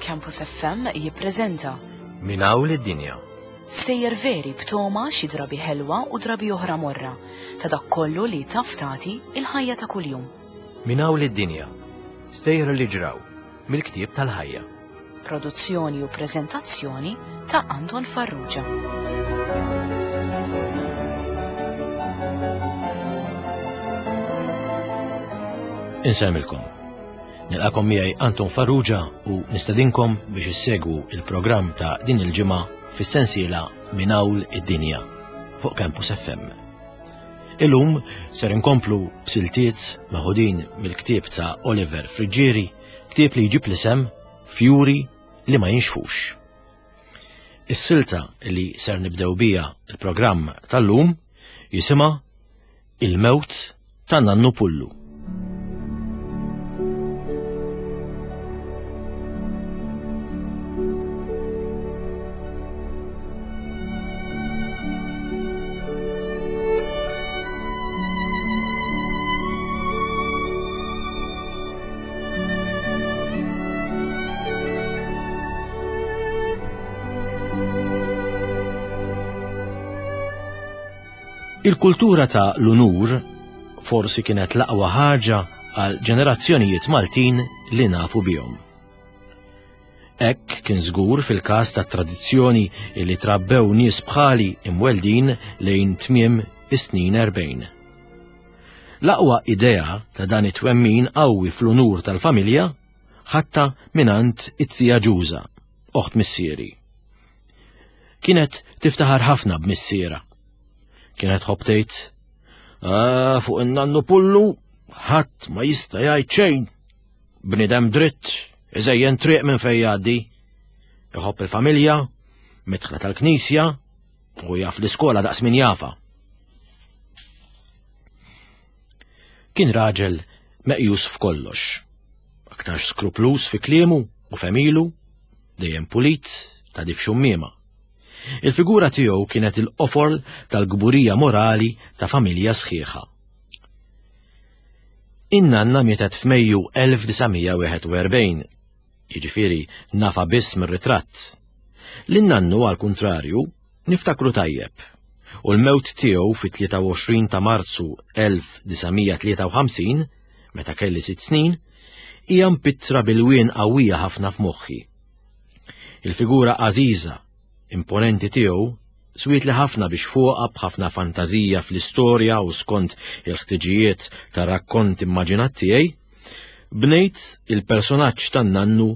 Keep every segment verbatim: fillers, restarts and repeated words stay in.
Campus F M jippreżenta Minn hawn lid-dinja. Sejjer veri b'toma xi drabi ħelwa u drabi oħra morra ta' dak kollu li taf tagħti il-ħajja ta' kuljum. Minn hawn lid-dinja. Stejjer li ġraw mill-ktieb tal-ħajja. Produzzjoni u preżentazzjoni ta' Anton Farrugia. Insemmilkom. Nilqakom miegħi Anton Farrugia u nistedinkom biex issegwu il-programm ta' din il-ġimgħa fis-sensiela Minn Hawn id-Dinja fuq Campus F M. Illum ser inkomplu b'siltiet meħudin mill-ktieb ta' Oliver Friggieri, ktieb li jġib l-isem Fjuri li ma jinxfux. Is-silta li ser nibdew bija il-programm tal-lum jisimha Il-Mewt ta' Nannu Pullu. Il-kultura ta' l-unur forsi kienet l-aqwa ħaġa għal ġenerazzjonijiet Maltin li nafu bihom. Hekk kien żgur fil-każ ta' tradizzjoni li trabbew nies bħali imweldin lejn tmiem is-snin erbgħin. L-aqwa idea ta' dan it-twemmin qawwi fl-unur tal-familja ħatta mingħand it-tija Ġuża, oħt missieri. Kienet tiftaħar ħafna b'missiera. Kienet tħobb tgħid, Ah, fuq in-nannu Pullu ħadd ma jista' jgħid xejn. Bniedem dritt, iżejjen triq minn fejn jgħaddi. Iħobb il-familja, midħla tal-knisja, u jaf l-iskola daqs min jafa. Kien raġel meqjus f'kollox, aktarx skruplus fi kliemu u femilu, dejjem pulit ta' dif xummiema. Il-figura tiegħu kienet il-qofor tal-gburija morali ta' familja sħiħa. In-nanna mietet f'Mejju elf disa' mija wieħed u erbgħin, jiġifieri nafa biss mir-ritratt. Lin-nannu għall-kuntrarju niftakru tajjeb, u l-mewt tiegħu fit-tlieta u għoxrin ta' Marzu elf disa' mija tlieta u ħamsin, meta kelli sitt snin, hija mpittra bil-wien qawwija ħafna f'moħħi. Il-figura għażiża, imponenti tiegħu swiet li ħafna biex fuqha b'ħafna fantażija fl-istorja u skont il-ħtiġijiet ta' rakkont immaġinat tiegħi, bnejt il-personaġġ tan-nannu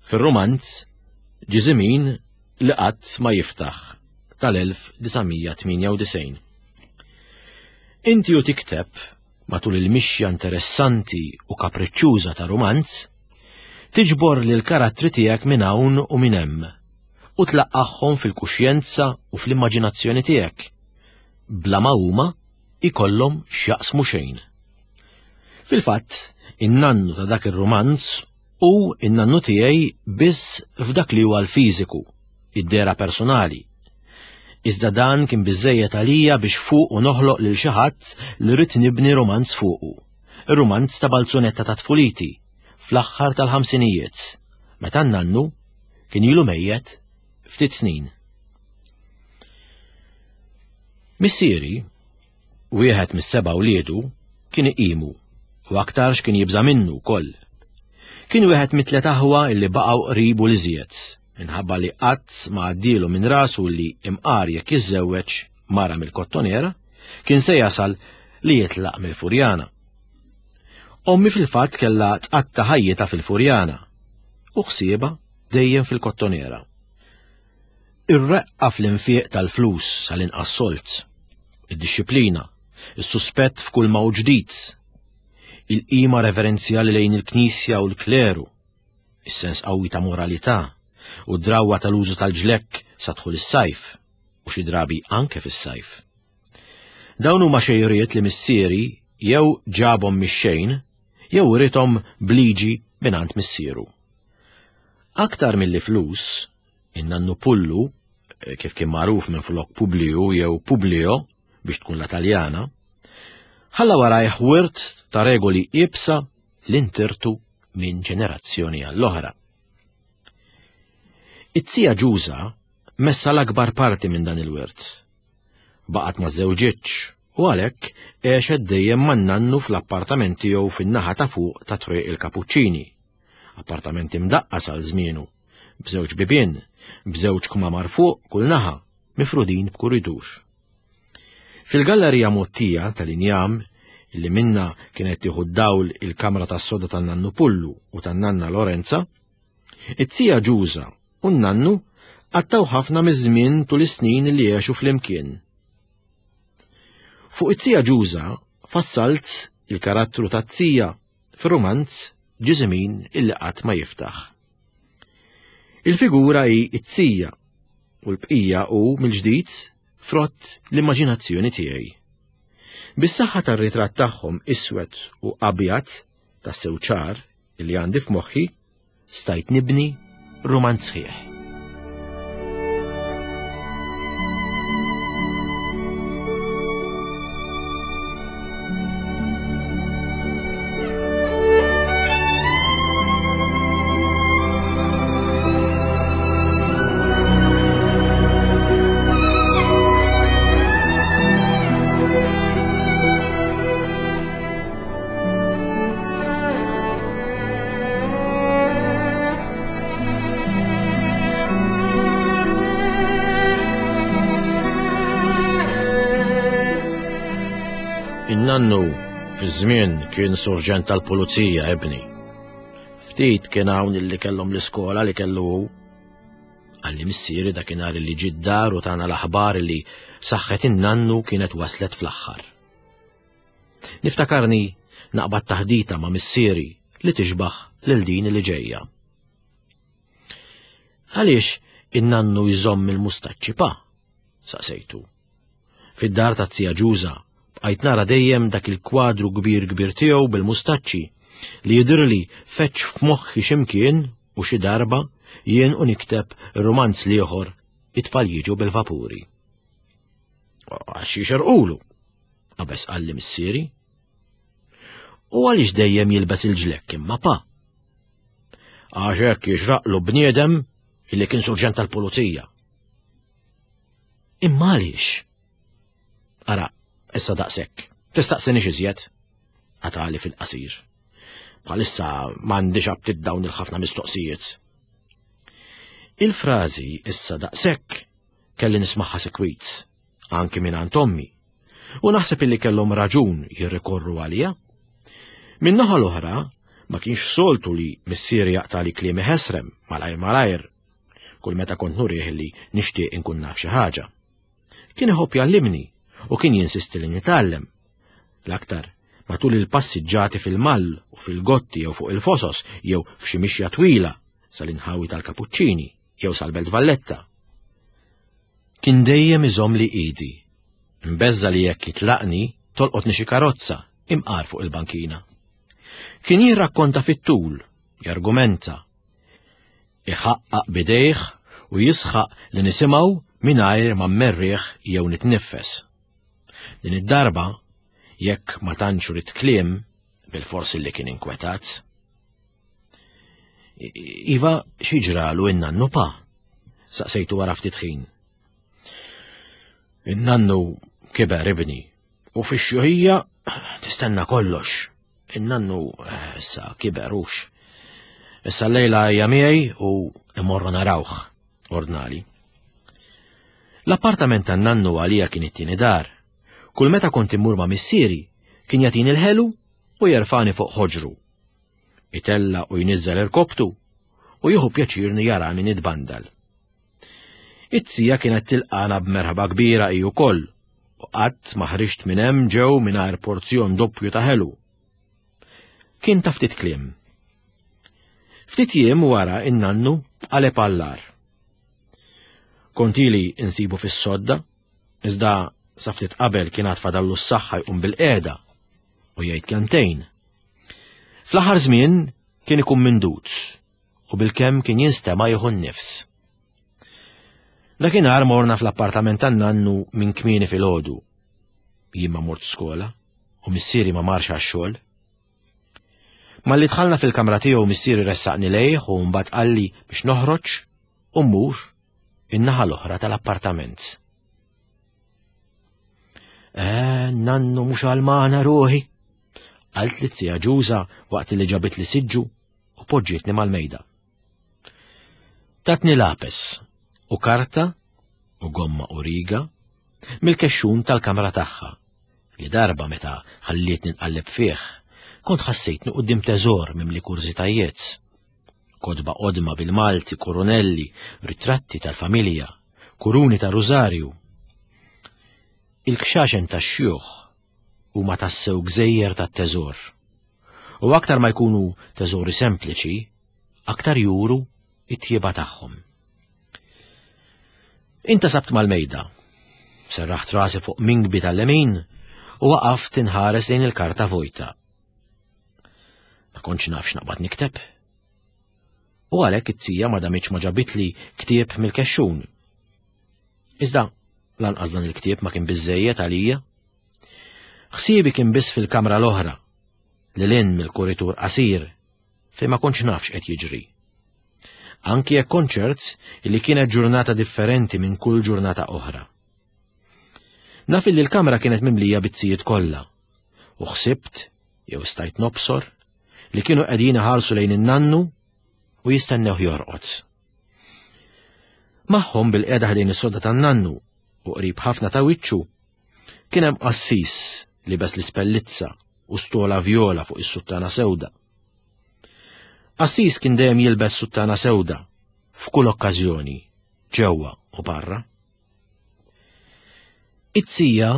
fir-romanz Ġiżimin li qatt ma jiftaħ tal-elf disa' mija tmienja u disgħin. Inti u tikteb matul il-mixja interessanti u kapriċċuża ta' romanz, tiġbor lil karattri tiegħek minn hawn u minn hemm u tlaqqagħhom fil-kuxjenza u fl-immaġinazzjoni tiegħek, bla ma huma ikollhom x'jaqsmu xejn. Fil-fatt, in-nannu ta' dak ir-romanz hu in-nannu tiegħi biss f'dak li huwa l-fiżiku, id-dehra personali. Iżda dan kien biżżejjed għalija biex fuqu noħloq lil xi ħadd li rrid nibni romanz fuqu, ir-romanz ta' Balzunetta ta' tfuliti, fl-aħħar tal-ħamsinijiet, meta n-nannu kien ilu mejjet ftit snin. Missieri, wieħed mis-seba' wliedu, kien iqimu u aktarx kien jibża' minnu wkoll. Kien wieħed mit-tliet aħwa illi baqgħu qribu li żjed, minħabba li qatt ma għaddielu minn rasu li imqar jekk jiżżewweġ mara mill-Kottonera, kien se jasal li jitlaq mill-Furjana. Ommi fil-fatt kellha tqatta' ħajjitha fil-Furjana u ħsiebha dejjem fil-Kottonera. Ir-reqqa fl-infiq tal-flus sal-inqas solt, id-dixxiplina, is-suspett f'kull ma hu ġdid, il-qima reverenzjali lejn il-Knisja u l-kleru, is-sens qawwi ta' moralità u d-drawwa tal-użu tal-ġlekk sa dħul is-sajf u xi drabi anke fis-sajf. Dawn huma xejriet li missieri jew ġabhom mix-xejn jew urithom bliġi mingħand missieru. Aktar milli flus, in-nannu Pullu, kif kien magħruf minn flok Publiu jew Publio biex tkun la Taljana, ħalla warajh wirt ta' regoli iebsa li ntirtu minn ġenerazzjoni għall-oħra. It-tija Ġuża messa l-akbar parti minn dan il-wirt. Baqgħet ma żewġitx u għalhekk għexet dejjem man-nannu fl-appartament tiegħu fin-naħa ta' fuq ta' Triq il-Kapuċċini. Appartament imdaqqas għal żmienu, b'żewġ bibien, b'żewġ kmamar fuq kull naħa, mifrudin b'kuridur. Fil-gallerija mottija tal-injam, li minna kienet tieħu d-dawl il-kamra tas-soda tan-nannu Pullu u tan-nanna Lorenza, it-tija Ġuża u n-nannu qattaw ħafna miż-żmien tul is-snin li għexu flimkien. Fuq it-tija Ġuża fassalt il-karattru tat-tija fir-rumanz Ġiżimin illi qatt ma jiftaħ. Il-figura hi t-tija u l-bqija hu mill-ġdid frott l-immaġinazzjoni tiegħi. Bis-saħħa tar-ritratt tagħhom iswed u abjad tassew ċar illi għandi f'moħħi, stajt nibni rumanz sħiħ. In-nannu fi żmien kien surġent tal-pulizija ibni. Ftit kien hawn illi kellhom l-iskola li kellu hu. Qalli missieri dakinhar li ġie d-dar u tana l-aħbar li saħħet in-nannu kienet waslet fl-aħħar. Niftakarni naqbad taħdita ma' missieri li tixbaħ lil din li ġejja. Għaliex in-nannu jżomm il-mustaċċi pa? Saqsejtu. Fid-dar ta' tija Ġuża bqajt nara dejjem dak il-kwadru kbir kbir tiegħu bil-mustaċċi li jidhirli feċ f'moħħi x'imkien u xi darba jien u nikteb romanz l-ieħor it-tfal jiġu bil-vapuri. Għax jixerqulu, qabeż qalli missieri. U għaliex dejjem jilbes il-ġlekk imma pa? Għax hekk jixraqlu bniedem illi kien surġent tal-pulizija. Imma għaliex? Ara, issa daqshekk, tistaqsinix iżjed, qatali fil-qasir. Bħalissa m'għandix aptit dawn il-ħafna mistoqsijiet. Il-frażi issa daqshekk kelli nismagħha sekwit, anki minn għand ommi, u naħseb illi kellhom raġun jirrikorru għalija. Min-naħa l-oħra, ma kienx soltu li missieri jaqtali kliemi ħesrem malajr malajr, kull meta kont nurih li nixtieq inkun naf xi ħaġa. Kien iħobb jgħallimni u kien jinsisti li nitgħallem. L-aktar matul il-passiġġati fil-mall u fil-gotti jew fuq il-fosos jew f'xi mixja twila sal-inħawi tal-Kapuċċini jew sal-Belt Valletta. Kien dejjem iżomm li idi, mbeżza li jekk jitlaqni tolqotni xi karozza imqar fuq il-bankina. Kien jirrakkonta fit-tul, jargumenta, iħaqqaq bidejh u jisħaq li nisimgħu mingħajr ma mmerrieħ jew nitnifes. Din id-darba, jekk ma tantx rid kliem, bil-forsi li kien inkwetat. Iva, xi ġralu in-nannu pa? Saqsejtu wara ftit ħin. In-nannu kiber ibni, u fix-xjuħija tistenna kollox. In-nannu issa kiber hux. Issa l-lejla hija miegħi u immorru narawh, ordnali. L-appartament tan-nannu għalija kien it-tieni dar. Kull meta kont immur ma' missieri, kien jagħtini l-ħelu u jerfani fuq ħoġru. Itella u jniżżel irkobtu u jieħu pjaċirni jarani nitbandal. It-tija kienet tilqana b'merħba kbira hi wkoll u qatt ma ħriġt minn hemm ġew mingħajr porzjon doppju ta' ħelu. Kien ta' ftit kliem. Ftit jiem wara in-nannu qaleb għall-ar. Kont ili insibu fis-sodda, iżda sa ftit qabel kien għad fadallu s-saħħa jqum bil-qiegħda u jgħid kelmtejn. Fl-aħħar żmien kien ikun mindut u bil-kemm kien jinstema' jieħu n-nifs. Dakinhar morna fl-appartament tan-nannu minn kmieni filgħodu. Jien ma mort skola u missieri ma marx għax-xogħol. Malli dħalna fil-kamra tiegħu missieri ressaqni lejh u mbagħad qalli biex noħroġ u mmur in-naħa l-oħra tal-appartament. Eh, nannu mhux għalmana ruħi, qalt li t-sija Ġuża waqt li ġabit li siġġu u poġġietni mal-mejda. Tatni lapes u karta u gomma u riga mill-kexxun tal-kamra tagħha li darba meta ħallietni nqalleb fih, kont ħassejtni quddiem teżor mimli kurżitajiet. Kotba qodma bil-Malti, kurunelli, ritratti tal-familja, kuruni ta' rużarju. Il-kxaxen tax-xjuħ huma tassew gżejjer tat-teżor. U aktar ma jkunu teżori sempliċi, aktar juru it-tjieba tagħhom. Intasabt mal-mejda, serraħt rasi fuq minkbi tal-lemin u waqaft inħares lejn il-karta vojta. Ma kontx naf x'naqbad nikteb. U għalhekk it-tija ma damitx ma ġabitli ktieb mill-kexxun. Iżda lanqas dan il-ktieb ma kien biżżejjed għalija. Ħsiebi kien biss fil-kamra l-oħra, lil hinn mill-kuritur qasir, fejn ma kontx naf x'qed jiġri. Anki jekk kont ċert li kienet ġurnata differenti minn kull ġurnata oħra. Naf li l-kamra kienet mimlija bit-tzijiet kollha, u ħsibt, jew stajt nobsor, li kienu qegħdin iħarsu lejn in-nannu u jistennew jorqod. Magħhom bil-qiegħda ħdejn is-sodda tan-nannu u qrib ħafna ta' wiċċu kien hemm qassis libes l-ispellizza u stola vjola fuq is-suttana sewda. Qassis kien dejjem jilbes suttana sewda f'kull okkażjoni, ġewwa u barra. It-tija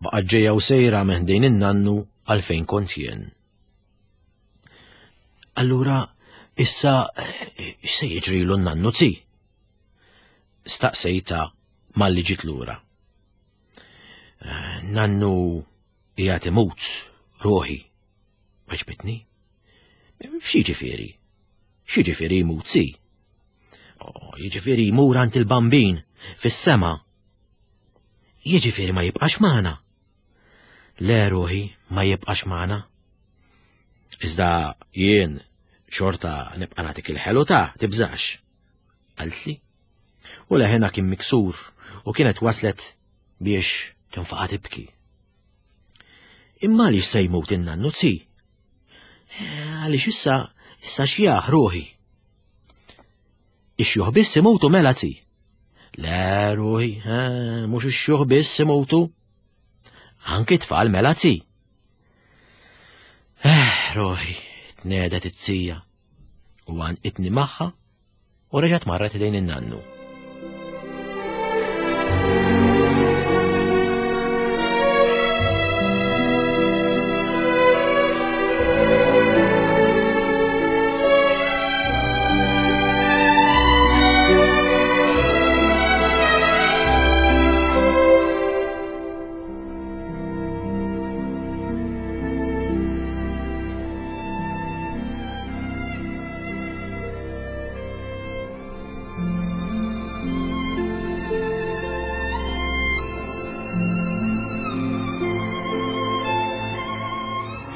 baqgħet ġejja u sejra minn ħdejn in-nannu għalfejn kont jien. Allura issa x'se jiġrilu n-nannu zi? Staqsejta malli ġiet lura. Nannu qiegħed imut, ruħi, weġbitni. X'jiġifieri? X'jiġifieri jmut zi? Oh, jiġifieri jmur għand il-Bambin fis-sema. Jiġifieri ma jibqax magħna. Le ruħi ma jibqax magħna. Iżda jien xorta nibqa' nagħtik il-ħelu ta' tibżax, qaltli. U leħenha kien miksur u kienet waslet biex tinfaqa' tibki. Imma għaliex se jmut in-nannu zi? Għaliex issa issa xjaħ ruħi. Ix-xjuħ biss imutu mela zi. Le ruħi, mhux ix-xjuħ biss imutu. Anki tfal mela zi. Eh, ruħi, tnedet it-tija u għanqitni magħha u reġgħet marret lejn in-nannu.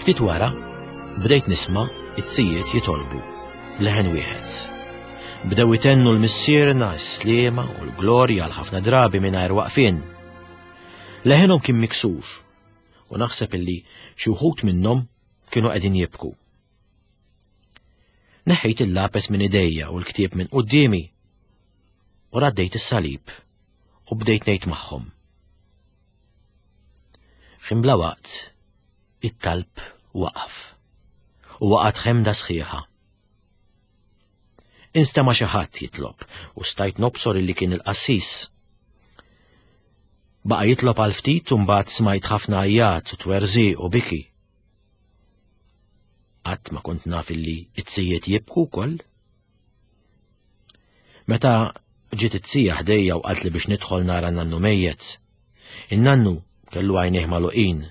Ftit wara, bdejt nisma' it-sijiet jitolbu leħen wieħed. Bdew itennu l-missierna, s-sliema u l-glorja għal ħafna drabi mingħajr waqfien. Leħenhom kien miksur u naħseb illi xi wħud minnhom kienu qegħdin jibku. Neħħejt il-lapes minn idejja u l-ktieb minn quddiemi u raddejt is-salib u bdejt ngħid magħhom. Ħin bla waqt, it-talb waqaf u waqgħet ħemda sħiħa. Instema' xi ħadd jitlob u stajt nobsor illi kien il-qassis. Baqa' jitlob għal ftit u mbagħad smajt ħafna għajjat u twerżiq u biki. Qatt ma kont naf illi it-sijiet jibku wkoll. Meta ġiet it-sija ħdejja u qaltli biex nidħol nara n-nannu mejjet, in-nannu kellu għajnejh magħluqin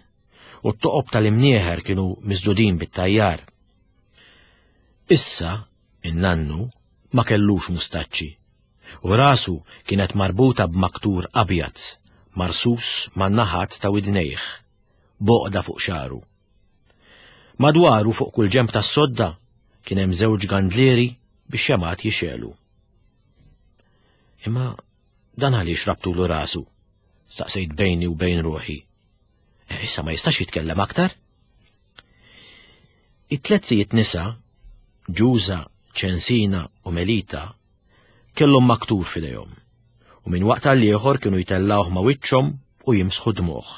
u t-toqob tal-imnieħer kienu miżdudin bit-tajjar. Issa, in-nannu ma kellux mustaċċi u rasu kienet marbuta b'maktur abjad, marsus man-naħat ta' widnejh, boqda fuq xaru. Madwaru fuq kull ġenb tas-sodda kien hemm żewġ gandlieri biex xemat jixelu. Imma dan għaliex rabtulu rasu? Staqsejt bejni u bejn ruħi. E, issa ma jistax jitkellem aktar? It-tliet sijiet nisa, Ġuża, Ċensina u Melita, kellhom maktur f'idejhom, u minn waqt għal ieħor kienu jtellgħuh ma' wiċċhom u jimsħu dmugħ.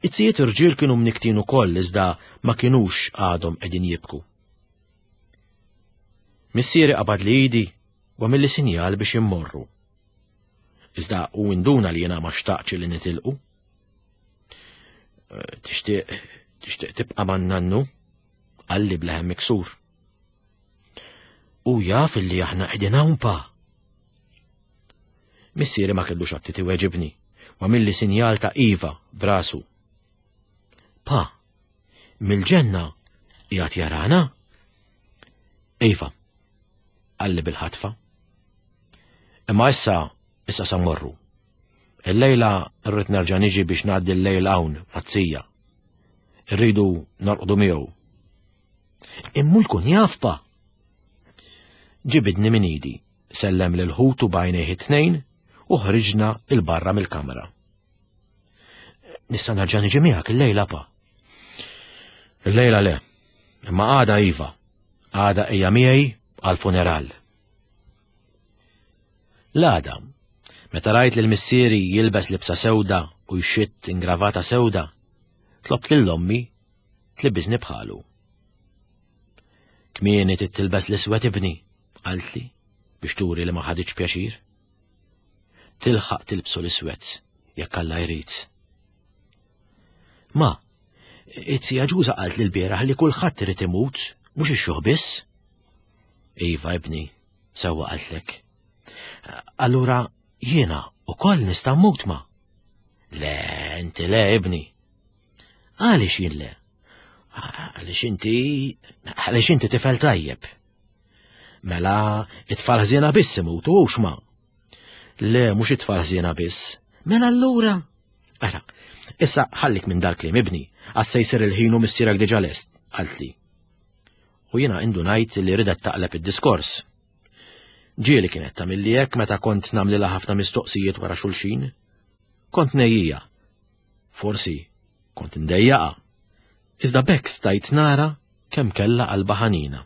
It-sijiet irġiel kienu mniktin ukoll iżda ma kinux għadhom qegħdin jibku. Missieri qabad li idi u għamilli sinjal biex immorru. Iżda u induna li jiena ma xtaqx li nitilqu. Eh, tixtieq tixtieq tibqa' man-nannu? Qalli bleħen miksur. U jaf illi aħna qegħdin hawn pa. Missieri ma kellux aptit iweġibni, u għamilli sinjal ta' iva brasu. Pa, mill-ġenna qiegħed jarana? Iva, qalli bil-ħatfa. Imma issa, issa sa mmorru. Il-lejla rrid nerġa' niġi biex ngħaddi l-lejl hawn mat-tija. Irridu norqdu miegħu. Immu jkun jaf pa. Ġibidni minn idi, sellem lil ħutu b'għajnejh it-tnejn u ħriġna 'l barra mill-kamra. Nista' nerġa' niġi miegħek il-lejla pa. Il-lejla le, imma għada iva, għada ejja miegħi għal-funeral. L-għada, meta rajt lil missieri jilbes libsa sewda u jxitt ingravata sewda, tlobt lil ommi tlibbisni bħalu. Kmieni tilbes l-iswed ibni, qaltli biex turi li ma ħaditx pjaċir. Tilħaq tilbsu l-iswed jekk Alla jrid. Ma, it-tija Ġuża qalt li l-bieraħ li kulħadd irid imut, mhux ix-xjuħ biss. Iva ibni, sewwa qaltlek. Allura jiena ukoll nista' mmut ma? Le, inti le ibni. Għaliex jien le? Għaliex inti, għaliex inti tifel tajjeb. Mela, it-tfal ħżiena biss imutu hux ma? Le, mhux it-tfal ħżiena biss. Mela allura. Ara, issa ħallik minn dal-kliem ibni, għax se jsir il-ħin u missierek diġà lest, qaltli. U jiena indunajt li ridet taqleb id-diskors. Ġieli kienet tagħmilli hekk meta kont nagħmlilha ħafna mistoqsijiet wara xulxin. Kont nejjija. Forsi kont ndejjaqa. Iżda b'hekk stajt nara kemm kellha qalba ħanina.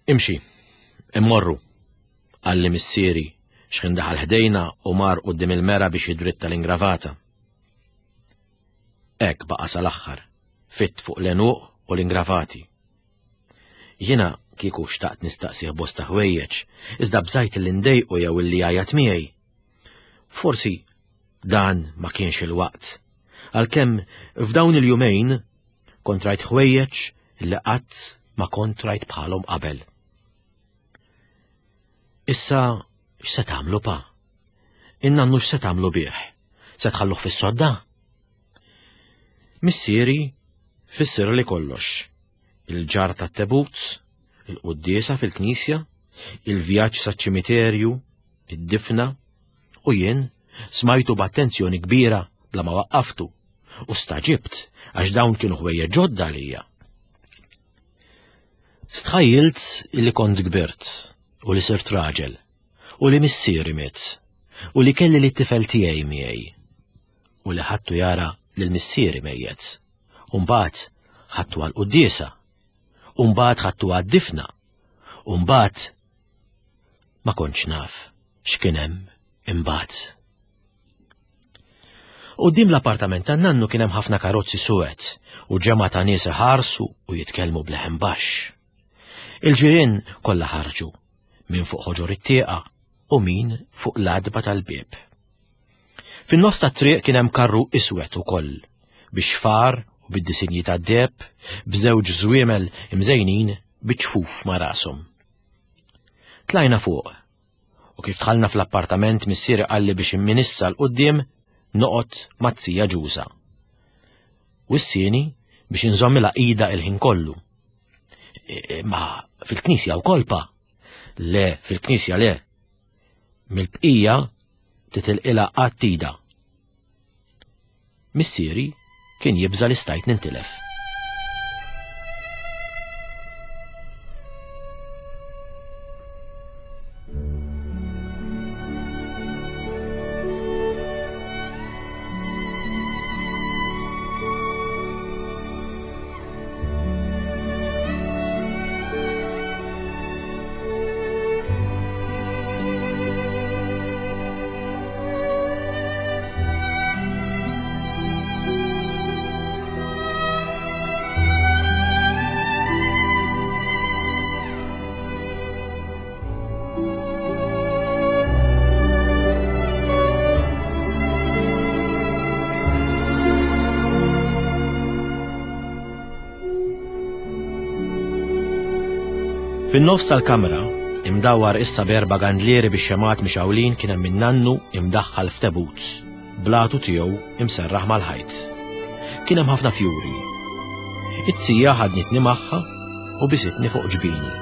Imxi, immorru, qalli missieri x'ħin daħal ħdejna u mar quddiem il-mera biex jidritta l-ingravata. Hekk baqa' sal-aħħar, fitt fuq l-għenuq u l-ingravati. Jiena kieku xtaqt nistaqsih bosta ħwejjeġ, iżda bżajt li ndejqu jew illi jgħajjat miegħi. Forsi dan ma kienx il-waqt. Għalkemm f'dawn il-jumejn kont rajt ħwejjeġ li qatt ma kont rajt bħalhom qabel. Issa x'se tagħmlu pa? In-nannu x'se tagħmlu bih? Se tħalluh fis-sodda? Missieri fissirli kollox. Il-ġarr tat-tebut, il-quddiesa fil-knisja, il-vjaġġ saċ-ċimiterju, id-difna, u jien smajtu b'attenzjoni kbira bla ma waqqaftu u staġibt għax dawn kienu ħwejjeġ ġodda għalija. Stħajjilt li kont kbirt u li sirt raġel u li missieri miet u li kelli li t-tifel tiegħi miegħi u li ħadtu jara lil missieri mejjet. U mbagħad ħadtu għall-quddiesa u mbagħad ħadtu għad-difna u mbagħad ma kontx naf x'kien hemm imbagħad. Quddiem l-appartament tan-nannu kien hemm ħafna karozzi suwed u ġemgħa ta' nies iħarsu u jitkellmu b'leħen baxx. Il-ġirien kollha ħarġu, min fuq ħoġor it-tieqa u min fuq l-għatba tal-bieb. Fin-nofs tat-triq kien hemm karru iswed ukoll, bix-xfar u bid-disinji tad-deheb, b'żewġ żwiemel imżejnin biċ-ċfuf ma' rashom. Tlajna fuq, u kif dħalna fl-appartament missieri qalli biex minn issa 'l quddiem noqgħod mat-tija Ġuża. Wissieni biex inżommilha idha il-ħin kollu. Ma fil-knisja wkoll pa? Le, fil-knisja le. Mill-bqija titilqilha qatt idha. Missieri kien jibża' li stajt nintilef. Fin-nofs tal-kamra, imdawwar issa b'erba' gandlieri bix-xemgħat mixgħulin, kien hemm in-nannu imdaħħal f'tebut, blatu tiegħu imserraħ mal-ħajt. Kien hemm ħafna fjuri. It-tija ħadnitni magħha u bisitni fuq ġbini.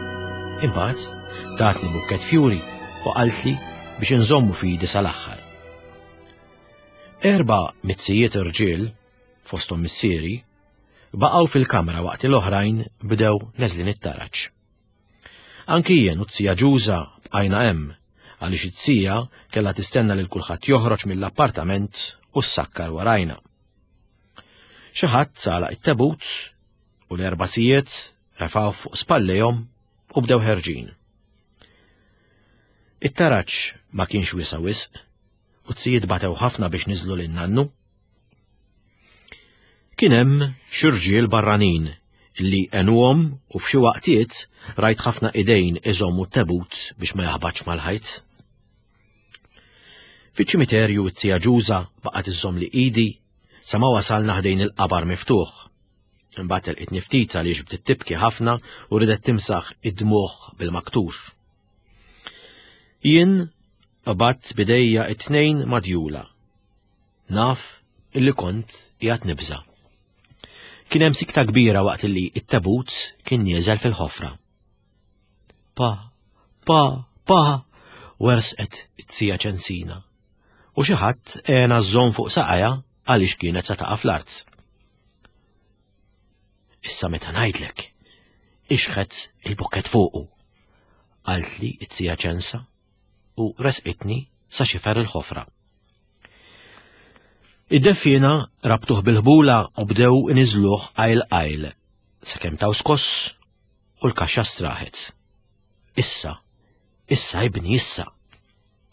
Imbagħad tatni bukket fjuri u qaltli biex inżommu f'idi sal-aħħar. Erba' mizzijiet irġiel, fosthom missieri, baqgħu fil-kamra waqt l-oħrajn bdew neżlin it-taraġ. Anki jien u t-tija Ġuża bqajna hemm għaliex it-tija kellha tistenna lil kulħadd joħroġ mill-appartament u ssakkar warajna. Xi ħadd għalaq it-tebut u l-erba' sijiet refgħu fuq spallejhom u bdew ħerġin. It-taraġ ma kienx wiesa' wisq u t-sijiet batew ħafna biex niżlu lin nannu. Kien hemm xi rġiel barranin li għenuhom u f'xi waqtiet rajt ħafna idejn iżommu t-tebut biex ma jaħbatx mal-ħajt. Fiċ-ċimiterju t-tija Ġuża baqgħet iżżomm li idi sa ma wasalna ħdejn il-qabar miftuħ. Imbagħad telqitni ftit għaliex bdiet tibki ħafna u ridet timsaħ id-dmugħ bil-maktux. Jien qabadt bidejja it-tnejn madjula. Naf illi kont qiegħed nibża'. Kien hemm sikta kbira waqt li t-tebut kien nieżel fil-ħofra. Pa, pa, pa, wersqet it-tija Ċensina. U xi ħadd għena żżomm fuq saqajha għaliex kienet se taqa' fl-art. Issa meta ngħidlek, ixħet il-bukket fuqu, qaltli t-tija Ċensa u resqitni sa xifer il-ħofra. Id-deffiena rabtuh bil-ħbula u bdew iniżluh qajl qajl, sakemm taw skoss u l-kaxxa straħet. Issa, issa ibni issa,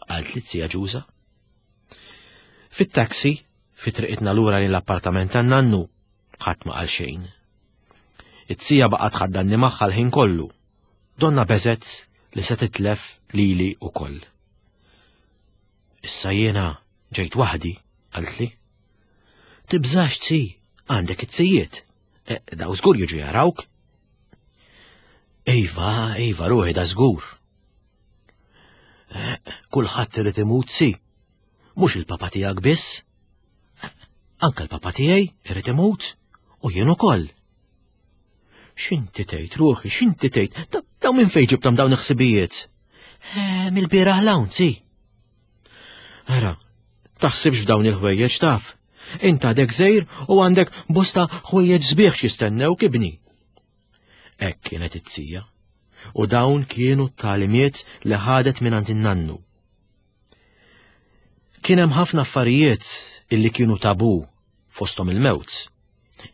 qaltli t-tija Ġuża. Fit-taxi, fi triqitna lura lejn l-appartament tan-nannu, ħadd ma qal xejn. It-tija baqgħet ħaddanni magħha l-ħin kollu, donna beżet li se titlef lili wkoll. Issa jiena ġejt waħdi, qaltli. Tibżax tsi, għandek it-sijiet. E, daw żgur jiġu jarawk. Iva, iva, ruħi da żgur. E, kulħadd irid imut si. Mhux il-papa tiegħek biss. E, anke l-papa tiegħi irid imut u jien ukoll. X'inti tgħid ruħi, x'inti tgħid? Daw minn fejn ġibthom dawn il-ħsibijiet? E, mill-bieraħ l-hawn, si. Ara, taħsibx f'dawn il-ħwejjeġ taf. Int għadek żgħir u għandek bosta ħwejjeġ sbieħ x'jistennewk ibni. Hekk kienet it-tija, u dawn kienu t-tagħlimiet li ħadet mingħand in-nannu. Kien hemm ħafna affarijiet illi kienu tabu fosthom il-mewt.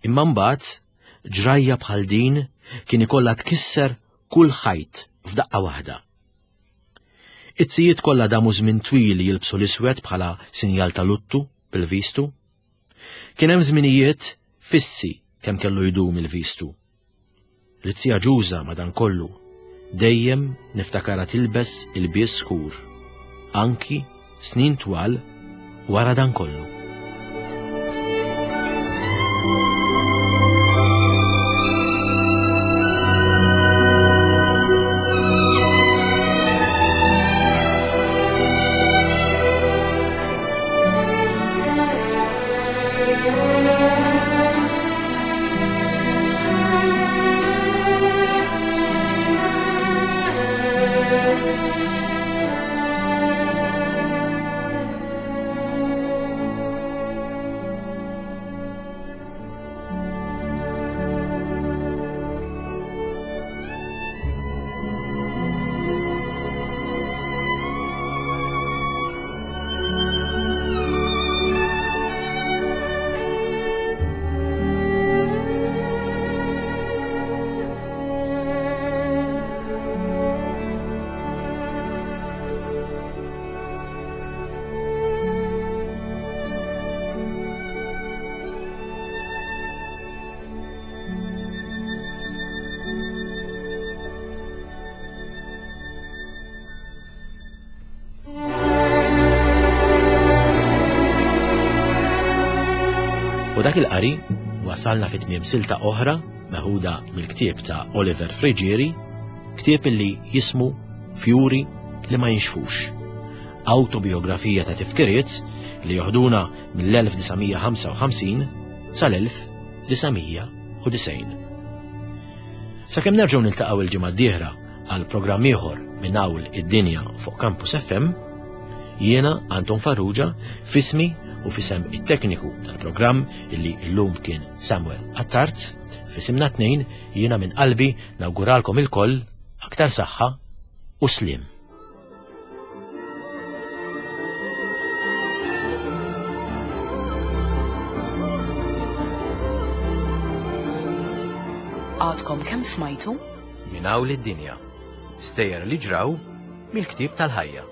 Imma mbagħad ġrajja bħal din kien ikollha tkisser kull ħajt f'daqqa waħda. It-sijiet kollha damu żmien twil jilbsu l-iswed bħala sinjal ta' luttu bil-vistu. Kien hemm żminijiet fissi kemm kellu jdum il-vistu. L-tija Ġuża madankollu dejjem niftakarha tilbes il-bies skur, anki snin twal wara dan kollu. U dak il-qari wasalna fit tmiem silta oħra meħuda mill-ktieb ta' Oliver Friggieri, Ktieb illi jismu Fjuri li ma jinxfux. Autobiografija ta' tifkiriet li joħduna mill-elf disa' mija ħamsa u ħamsin sal-elf disa' mija u disgħin. Sakemm nerġgħu niltaqgħu il-ġimgħa d-dieħla għal programm ieħor minn hawn id-dinja fuq Campus F M, jiena Anton Farrugia fismi u fisem it-tekniku tal-programm illi llum kien Samuel Attard, fisimna tnejn jiena minn qalbi nawguralkom ilkoll aktar saħħa u slim. Għadkom kemm smajtu? Minn hawn id-dinja. Stejjer li ġraw mill-ktieb tal-ħajja.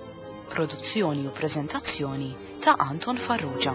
Produzzjoni u preżentazzjoni ta' Anton Farrugia.